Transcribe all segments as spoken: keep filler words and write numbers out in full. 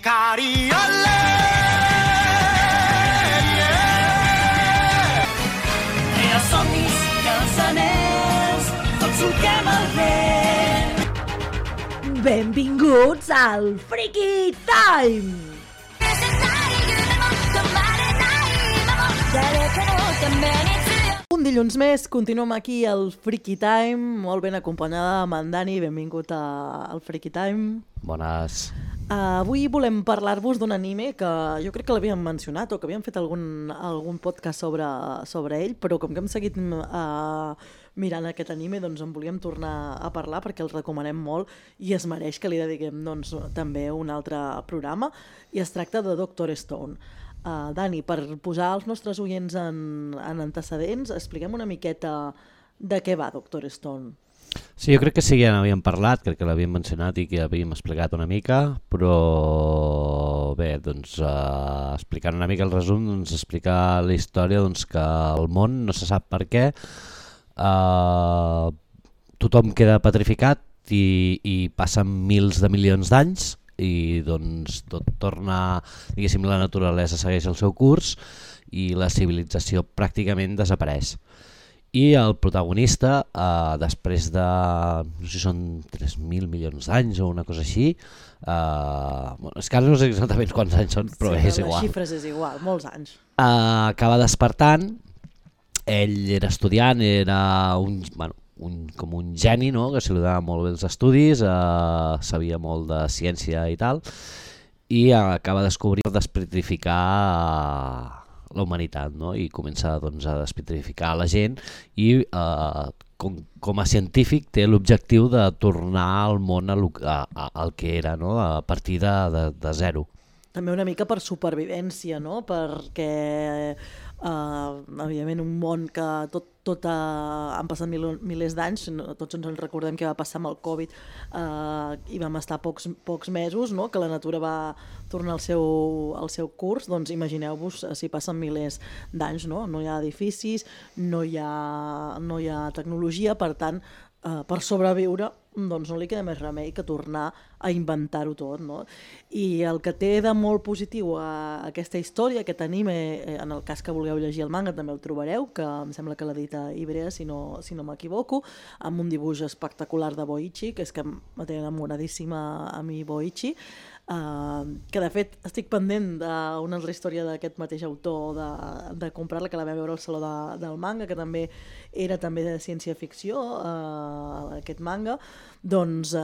Cariole, yeah. I els somnis i els anells, tots solquem el vent. Benvinguts al Freaky Time! Un dilluns més, continuem aquí al Freaky Time, molt ben acompanyada amb en Dani, benvingut a, al Freaky Time. Bones. Uh, avui volem parlar-vos d'un anime que jo crec que l'havíem mencionat o que havíem fet algun, algun podcast sobre, sobre ell, però com que hem seguit uh, mirant aquest anime, doncs en volíem tornar a parlar perquè el recomanem molt i es mereix que li dediquem doncs, també un altre programa, i es tracta de Doctor Stone. Uh, Dani, per posar els nostres oients en, en antecedents, expliquem una miqueta de què va Doctor Stone. Sí, jo crec que sí que ja n'havíem parlat, crec que l'havíem mencionat i que havíem explicat una mica, però bé, doncs uh, explicant una mica el resum, doncs explicar la història doncs, que el món no se sap per què, uh, tothom queda petrificat i, i passen mils de milions d'anys i doncs tot torna, diguéssim, la naturalesa segueix el seu curs i la civilització pràcticament desapareix. I el protagonista, eh, després de, no sé si són tres mil milions d'anys o una cosa així, eh, bueno, és que ara no sé exactament quants anys són, però sí, és igual. Les xifres és igual, molts anys. Eh, acaba despertant, ell era estudiant, era un, bueno, un, com un geni, no? Que se li donava molt bé els estudis, eh, sabia molt de ciència i tal, i acaba de descobrir despetrificar eh, la humanitat, no? I comença doncs, a despetrificar la gent i eh, com, com a científic té l'objectiu de tornar al món a, a, a, al que era, no? A partir de, de, de zero. També una mica per supervivència, no? Perquè Uh, evidentment un món que tot, tot uh, han passat mil, milers d'anys, no, tots ens en recordem què va passar amb el Covid uh, i vam estar pocs, pocs mesos, no? Que la natura va tornar al seu, al seu curs, doncs imagineu-vos si passen milers d'anys, no? No hi ha edificis, no hi ha, no hi ha tecnologia, per tant, uh, per sobreviure doncs no li queda més remei que tornar a inventar-ho tot, no? I el que té de molt positiu a aquesta història, aquest anime, en el cas que vulgueu llegir el manga també el trobareu, que em sembla que l'edita Ibrea, si no, si no m'equivoco, amb un dibuix espectacular de Boichi, que és que me té enamoradíssima a mi Boichi, uh, que de fet estic pendent d'una altra història d'aquest mateix autor de, de comprar-la, que la vam veure al Saló de, del Manga, que també era també de ciència-ficció, uh, aquest manga. Doncs eh,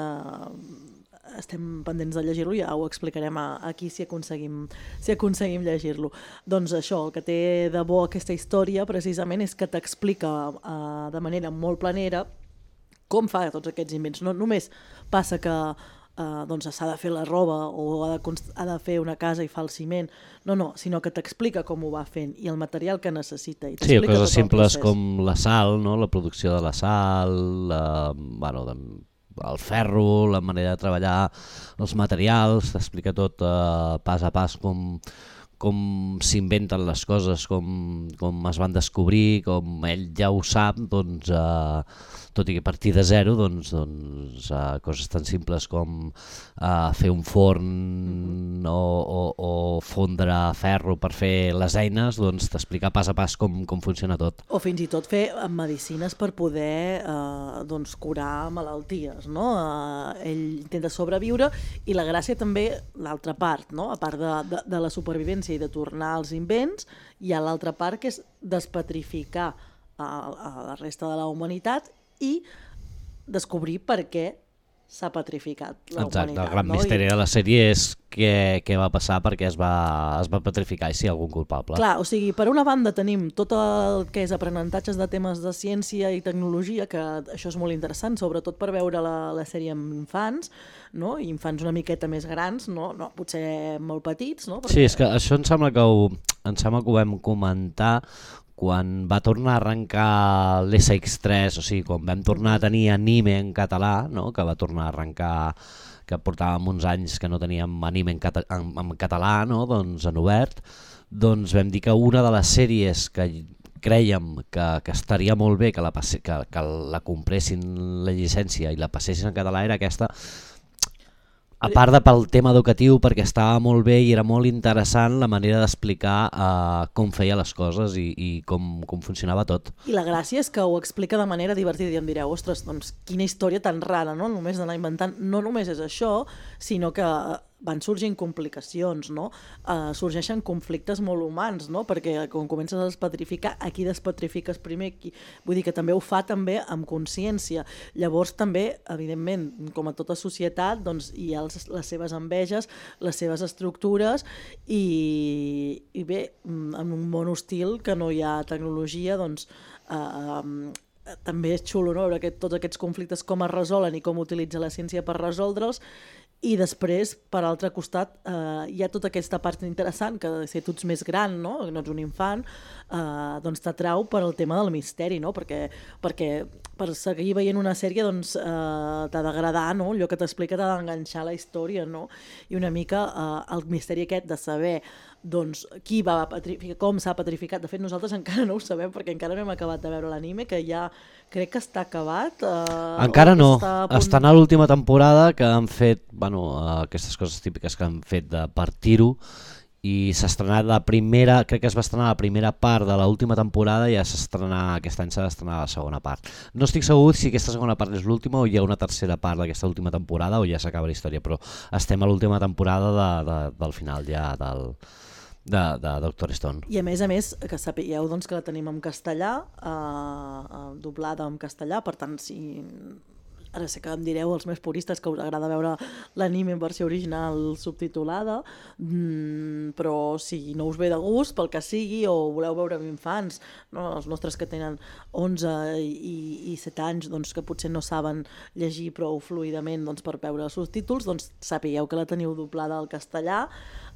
estem pendents de llegir-lo, ja ho explicarem aquí si aconseguim, si aconseguim llegir-lo. Doncs això, el que té de bo aquesta història precisament és que t'explica eh, de manera molt planera com fa tots aquests invents. No només passa que eh, doncs s'ha de fer la roba o ha de, ha de fer una casa i fa el ciment, no, no, sinó que t'explica com ho va fent i el material que necessita. I sí, coses simples com la sal, no? La producció de la sal, la, bueno, de, el ferro, la manera de treballar els materials, t'explica tot eh, pas a pas com, com s'inventen les coses, com, com es van descobrir, com ell ja ho sap, doncs, eh, tot i que a partir de zero, doncs, doncs, eh, coses tan simples com eh, fer un forn mm-hmm. o, o, o fondre ferro per fer les eines, doncs t'explica pas a pas com, com funciona tot. O fins i tot fer medicines per poder eh, doncs, curar malalties, no? Eh, ell intenta sobreviure i la gràcia també, l'altra part, no? A part de, de, de la supervivència i de tornar als invents, hi ha l'altra part que és despetrificar a, a la resta de la humanitat i descobrir per què s'ha petrificat la Exacte, humanitat. El gran no? misteri I... de la sèrie és què, què va passar perquè es va, es va petrificar i si hi ha algun culpable. Clar, o sigui, per una banda tenim tot el que és aprenentatges de temes de ciència i tecnologia, que això és molt interessant, sobretot per veure la, la sèrie amb infants, no? I infants una miqueta més grans, no, no potser molt petits. No? Perquè... Sí, és que això em sembla que ho, em sembla que ho vam comentar quan va tornar a arrencar l'S X tres, o sigui, quan vam tornar a tenir anime en català, no? Que va tornar a arrencar, que portàvem uns anys que no teníem anime en, cata en, en català, no? Doncs en obert, doncs vam dir que una de les sèries que crèiem que, que estaria molt bé que la, passe, que, que la compressin la llicència i la passessin en català era aquesta. A part de pel tema educatiu, perquè estava molt bé i era molt interessant la manera d'explicar uh, com feia les coses i, i com, com funcionava tot. I la gràcia és que ho explica de manera divertida i em direu, ostres, doncs quina història tan rara, no? Només d'anar inventant, no només és això, sinó que van sorgint complicacions, no? Uh, sorgeixen conflictes molt humans, no? Perquè quan comences a despetrificar, a qui despetrifiques primer? Qui... Vull dir que també ho fa també amb consciència. Llavors també, evidentment, com a tota societat, doncs, hi ha els, les seves enveges, les seves estructures i, i bé, en un món hostil que no hi ha tecnologia, doncs uh, um, també és xulo, no? Veure aquest, tots aquests conflictes com es resolen i com utilitza la ciència per resoldre'ls. I després, per altre costat, eh, hi ha tota aquesta part interessant, que si tu ets més gran, no, no ets un infant, eh, doncs t'atrau per al tema del misteri, no? Perquè, perquè per seguir veient una sèrie doncs, eh, t'ha d'agradar, no? Allò que t'explica t'ha d'enganxar la història, no? I una mica eh, el misteri aquest de saber doncs, qui va petrificar, com s'ha petrificat. De fet, nosaltres encara no ho sabem perquè encara no hem acabat de veure l'anime, que ja crec que està acabat. Eh, encara no, està a punt... estan a l'última temporada que han fet, bueno, aquestes coses típiques que han fet de partir-ho, i s'ha estrenat la primera, crec que es va estrenar la primera part de l'última temporada i ja s'estrenar, aquest any s'ha d'estrenar la segona part. No estic segur si aquesta segona part és l'última o hi ha una tercera part d'aquesta última temporada o ja s'acaba la història, però estem a l'última temporada de, de, del final ja del... De, de Doctor Stone. I a més a més, que sapigueu doncs, que la tenim en castellà, eh, eh, doblada en castellà, per tant, si... Ara sé que em direu, els més puristes, que us agrada veure l'anime en versió original subtitulada, mm, però si no us ve de gust, pel que sigui, o voleu veure amb infants, no? Els nostres que tenen onze i, i set anys, doncs, que potser no saben llegir prou fluidament doncs, per veure els subtítols, doncs sapigueu que la teniu doblada al castellà,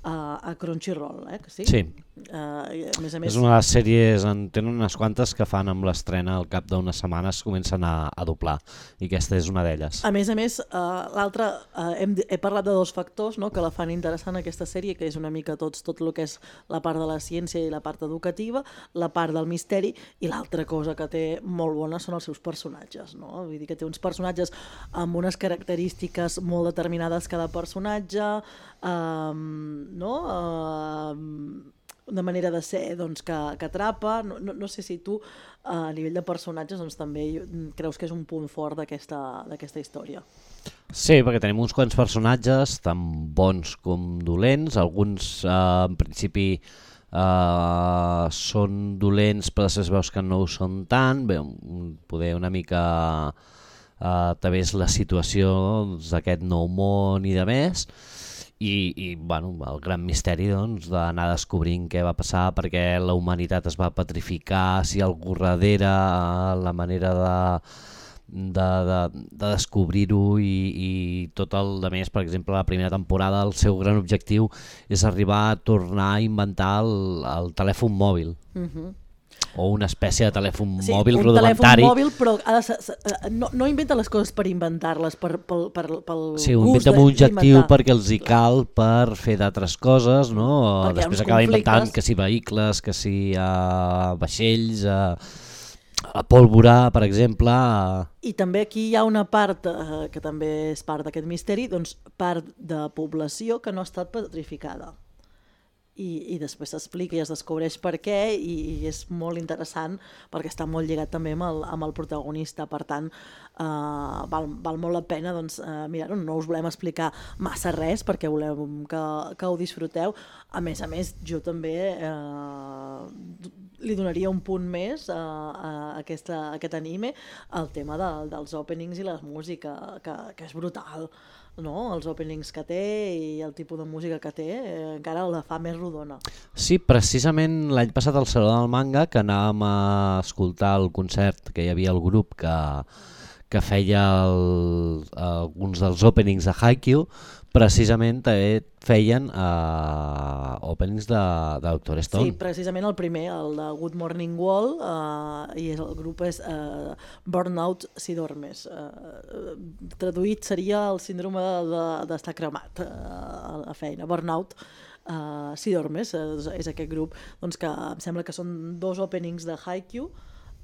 Uh, a Crunchyroll, eh, que sí? Sí. Uh, a més a més... És una de les sèries, en tenen unes quantes que fan amb l'estrena al cap d'unes setmanes comencen a, a doblar, i aquesta és una d'elles. A més a més, uh, l'altra, uh, hem, he parlat de dos factors, no?, que la fan interessant aquesta sèrie, que és una mica tots, tot el que és la part de la ciència i la part educativa, la part del misteri, i l'altra cosa que té molt bona són els seus personatges, no? Vull dir que té uns personatges amb unes característiques molt determinades cada personatge, um, no? Uh, una manera de ser doncs, que, que atrapa, no, no, no sé si tu a nivell de personatges doncs, també creus que és un punt fort d'aquesta d'aquesta història. Sí, perquè tenim uns quants personatges tan bons com dolents, alguns eh, en principi eh, són dolents però després veus que no ho són tant, bé, poder una mica eh, també és la situació d'aquest nou món i de més. I, i bueno, el gran misteri doncs, d'anar descobrint què va passar, perquè la humanitat es va petrificar, si algú darrere, la manera de, de, de, de descobrir-ho i, i tot el de més. Per exemple, la primera temporada el seu gran objectiu és arribar a tornar a inventar el, el telèfon mòbil. Uh-huh. O una espècie de telèfon sí, mòbil un rudimentari. Telèfon mòbil, però ha de, no, no inventa les coses per inventar-les, per, pel, per, pel sí, gust inventa un objectiu perquè els hi cal per fer d'altres coses, no? Perquè després acaba inventant que si vehicles, que si uh, vaixells, uh, la pólvora, per exemple. Uh... I també aquí hi ha una part, uh, que també és part d'aquest misteri, doncs part de població que no ha estat petrificada. I, i després s'explica i es descobreix per què i, i és molt interessant perquè està molt lligat també amb el, amb el protagonista, per tant uh, val, val molt la pena doncs, uh, mirar-ho. No us volem explicar massa res perquè volem que, que ho disfruteu. A més a més, jo també uh, li donaria un punt més a, a, aquesta, a aquest anime, el tema de, dels openings i la música, que, que és brutal. No? Els openings que té i el tipus de música que té eh, encara la fa més rodona. Sí, precisament l'any passat al Saló del Manga, que anàvem a escoltar el concert, que hi havia el grup que, que feia el, alguns dels openings de Haikyuu, precisament també feien uh, openings de, de Doctor Stone. Sí, precisament el primer, el de Good Morning Wall, uh, i el grup és uh, Burnout si dormes. Uh, traduït seria el síndrome d'estar de, de cremat uh, a la feina. Burnout uh, si dormes, uh, és aquest grup doncs, que em sembla que són dos openings de Haikyuu,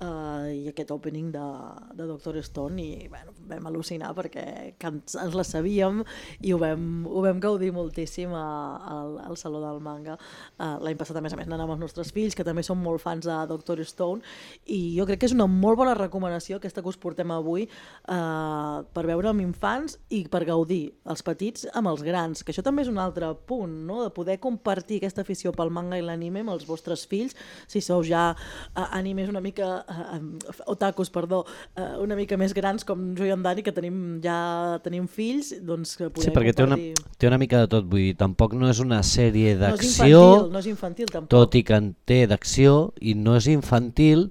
Uh, i aquest opening de, de Doctor Stone i bueno, vam al·lucinar perquè ens, ens la sabíem i ho vam, ho vam gaudir moltíssim a, a, al Saló del Manga. Uh, l'any passat a més a més anàvem amb els nostres fills que també són molt fans de Doctor Stone i jo crec que és una molt bona recomanació aquesta que us portem avui uh, per veure amb infants i per gaudir els petits amb els grans, que això també és un altre punt, no? De poder compartir aquesta afició pel manga i l'anime amb els vostres fills, si sou ja uh, animes una mica Uh, otakus, perdó, uh, una mica més grans com jo i en Dani, que tenim, ja tenim fills, doncs que podem sí, perquè compartir. Té una, té una mica de tot, vull dir, tampoc no és una sèrie No és d'acció, infantil, no és infantil tampoc. Tot i que en té d'acció i no és infantil,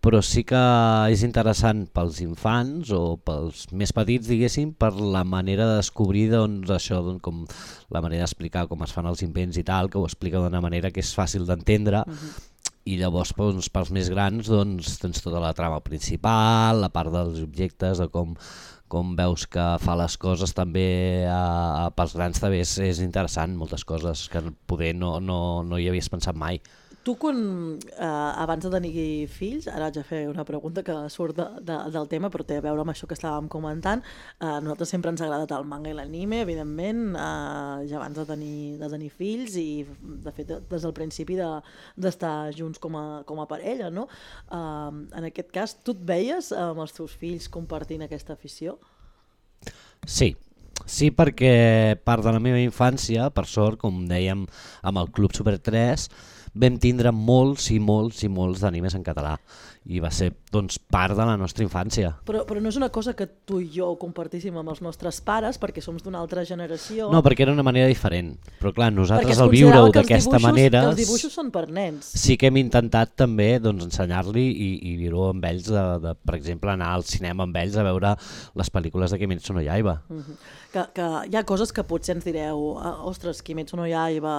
però sí que és interessant pels infants o pels més petits, diguéssim, per la manera de descobrir doncs, això, doncs, com la manera d'explicar com es fan els invents i tal, que ho explica d'una manera que és fàcil d'entendre. Uh-huh. I llavors doncs, pels més grans doncs, tens tota la trama principal, la part dels objectes, de com, com veus que fa les coses també a, a, pels grans també és, és interessant, moltes coses que poder no, no, no hi havies pensat mai. Tu, quan, eh, abans de tenir fills, ara haig de fer una pregunta que surt de, de, del tema, però té a veure amb això que estàvem comentant, eh, a nosaltres sempre ens ha agradat el manga i l'anime, evidentment, eh, ja abans de tenir, de tenir fills i, de fet, des del principi de, d'estar junts com a, com a parella, no? Eh, en aquest cas, tu et veies amb els teus fills compartint aquesta afició? Sí. Sí, perquè part de la meva infància, per sort, com dèiem amb el Club Super tres, vam tindre molts i molts i molts d'animes en català i va ser doncs, part de la nostra infància. Però, però no és una cosa que tu i jo compartíssim amb els nostres pares perquè som d'una altra generació. No, perquè era una manera diferent, però clar, nosaltres al viure-ho d'aquesta manera... Que els dibuixos són per nens. Sí que hem intentat també doncs, ensenyar-li i, i viure-ho amb ells, de, de, per exemple, anar al cinema amb ells a veure les pel·lícules de Kimetsu no Yaiba. Uh-huh. Que, que hi ha coses que potser ens direu, ostres, Kimetsu no Yaiba,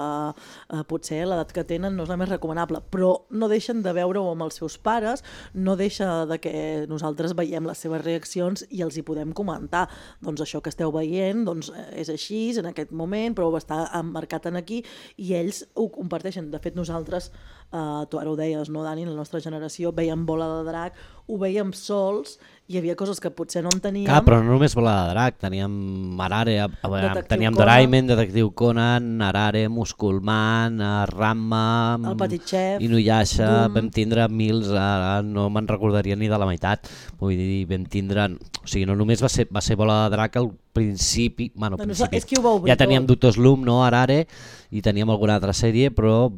eh, potser l'edat que tenen no és la més recomanable, però no deixen de veure-ho amb els seus pares, no deixa de que nosaltres veiem les seves reaccions i els hi podem comentar. Doncs això que esteu veient doncs, és així en aquest moment, però està emmarcat en aquí i ells ho comparteixen. De fet, nosaltres, eh, tu ara ho deies, no, Dani, la nostra generació veiem Bola de Drac, ho veiem sols, hi havia coses que potser no en teníem. Clar, però no només Bola de Drac, teníem Arare, teníem Doraemon, Detectiu Conan, Arare, Musculman, Ranma, El Petit Chef, Inuyasha, vam tindre mils, ara no me'n recordaria ni de la meitat, vull dir, vam tindre, o sigui, no només va ser, va ser Bola de Drac al principi, bueno, no, principi. És que ho va obrir ja teníem tot. Doctor Slump, no, Arare, i teníem alguna altra sèrie, però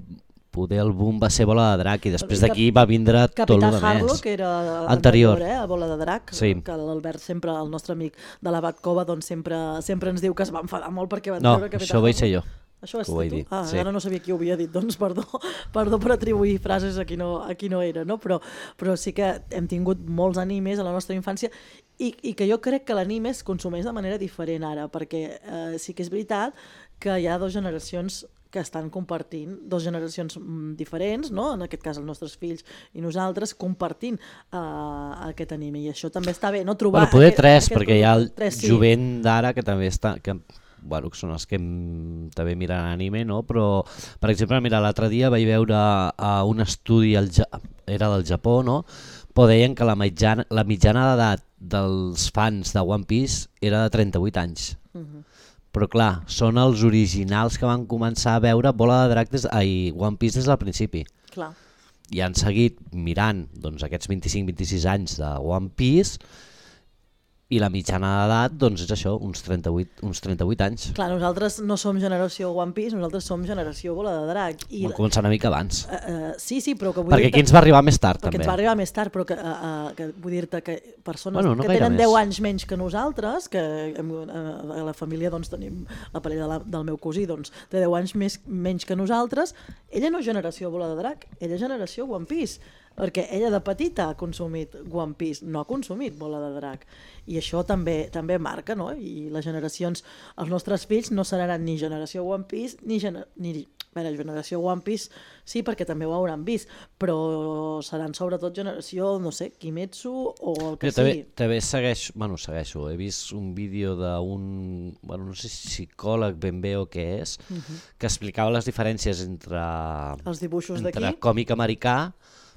poder el boom va ser Bola de Drac i després d'aquí va vindre Capità tot el que Harlow, més. que era anterior, anterior eh, a Bola de Drac, sí. Que l'Albert sempre, el nostre amic de la Batcova, doncs sempre, sempre ens diu que es va enfadar molt perquè van no, treure Capità això ho vaig ser jo. Això és tu? Dir, ah, sí. Ara no sabia qui ho havia dit, doncs perdó, perdó per atribuir frases a qui no, a qui no era, no? Però, però sí que hem tingut molts animes a la nostra infància i, i que jo crec que l'anime es consumeix de manera diferent ara, perquè eh, sí que és veritat que hi ha dues generacions que estan compartint, dues generacions diferents, no? En aquest cas els nostres fills i nosaltres, compartint uh, aquest anime, i això també està bé, no trobar... Bueno, poder aquest, tres, aquest perquè hi ha el tres, sí. jovent d'ara que també està... Que, bueno, que són els que em, també miren anime, no? Però, per exemple, mira, l'altre dia vaig veure uh, un estudi, al ja, era del Japó, no? Però deien que la mitjana, la mitjana d'edat dels fans de One Piece era de trenta-vuit anys. Uh-huh. Però clar, són els originals que van començar a veure Bola de Drac des, ai, One Piece des del principi. Clar. I han seguit mirant doncs, aquests vint-i-cinc vint-i-sis anys de One Piece i la mitjana d'edat doncs és això, uns trenta-vuit, uns trenta-vuit anys. Clar, nosaltres no som generació One Piece, nosaltres som generació Bola de Drac. I Vam començar una mica abans. Uh, uh, sí, sí, però que vull perquè dir-te... aquí ens va arribar més tard, perquè també. ens va arribar més tard, però que, uh, uh, que vull dir-te que persones bueno, no que tenen més. deu anys menys que nosaltres, que hem, uh, a la família doncs, tenim la parella de la, del meu cosí, doncs, té deu anys més, menys que nosaltres, ella no és generació Bola de Drac, ella és generació One Piece, perquè ella de petita ha consumit One Piece, no ha consumit Bola de Drac. I això també també marca, no? I les generacions, els nostres fills no seran ni generació One Piece, ni, gener, ni bé, generació One Piece, sí, perquè també ho hauran vist, però seran sobretot generació, no sé, Kimetsu o el que jo també, sigui. També segueixo, bueno, segueixo, he vist un vídeo d'un, bueno, no sé si psicòleg ben bé o què és, uh-huh. que explicava les diferències entre, els dibuixos entre d'aquí, còmic americà,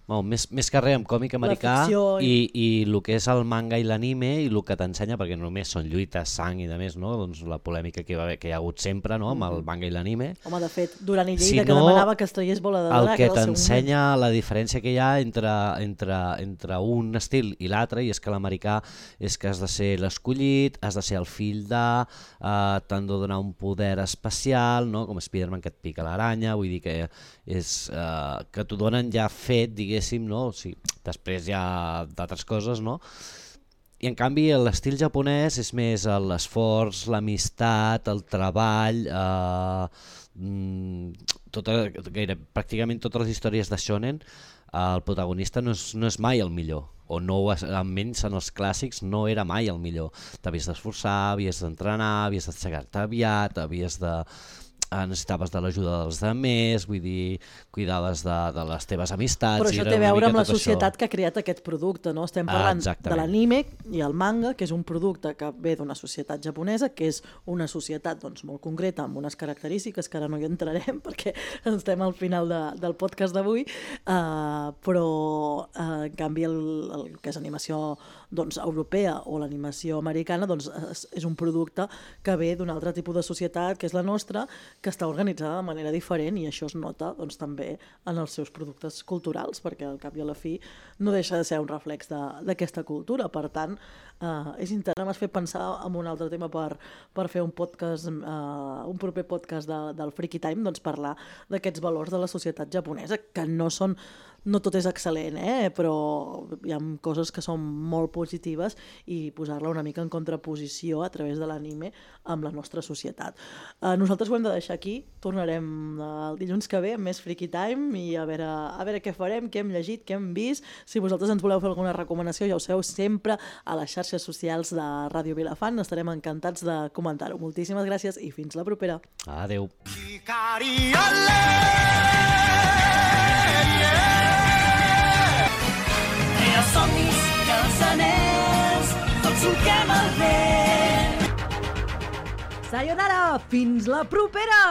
Bueno, més, més que res amb còmic americà i, i el que és el manga i l'anime i el que t'ensenya, perquè només són lluites, sang i de més, no? Doncs la polèmica que, va haver, que hi ha hagut sempre, no? Amb el manga i l'anime. Home, de fet, Duran i Lleida, si que no, demanava que es traiés Bola de Drac. El que t'ensenya la diferència que hi ha entre, entre, entre un estil i l'altre, i és que l'americà és que has de ser l'escollit, has de ser el fill de, eh, t'han de donar un poder especial, no? Com Spider-Man que et pica l'aranya, vull dir que és eh, que t'ho donen ja fet, diguéssim, no? O sigui, després hi ha d'altres coses, no? I en canvi l'estil japonès és més l'esforç, l'amistat, el treball, eh, tota, gaire, pràcticament totes les històries de shonen, el protagonista no és, no és mai el millor, o no, almenys en els clàssics no era mai el millor. T'havies d'esforçar, havies d'entrenar, havies d'aixecar-te aviat, havies de... necessitaves de l'ajuda dels altres, vull dir, cuidaves de, de les teves amistats... Però això té a veure amb la societat això que ha creat aquest producte, no? Estem parlant ah, de l'anime i el manga, que és un producte que ve d'una societat japonesa, que és una societat doncs, molt concreta, amb unes característiques que ara no hi entrarem perquè estem al final de, del podcast d'avui, uh, però uh, en canvi el, el que és animació doncs, europea o l'animació americana doncs, és, és un producte que ve d'un altre tipus de societat, que és la nostra, que està organitzada de manera diferent, i això es nota doncs, també en els seus productes culturals, perquè al cap i a la fi no deixa de ser un reflex d'aquesta cultura. Per tant, eh, és interessant, m'has fet pensar en un altre tema per, per fer un podcast, eh, un proper podcast de, del Freaky Time, doncs parlar d'aquests valors de la societat japonesa, que no són no tot és excel·lent, eh? Però hi ha coses que són molt positives i posar-la una mica en contraposició a través de l'anime amb la nostra societat. Eh, nosaltres ho hem de deixar aquí, tornarem el dilluns que ve amb més Freaky Time i a veure, a veure què farem, què hem llegit, què hem vist. Si vosaltres ens voleu fer alguna recomanació, ja ho sabeu, sempre a les xarxes socials de Ràdio Vilafant, estarem encantats de comentar-ho. Moltíssimes gràcies i fins la propera. Adéu. Els somnis i els anells, tots solquem el vent. Sayonara, fins la propera!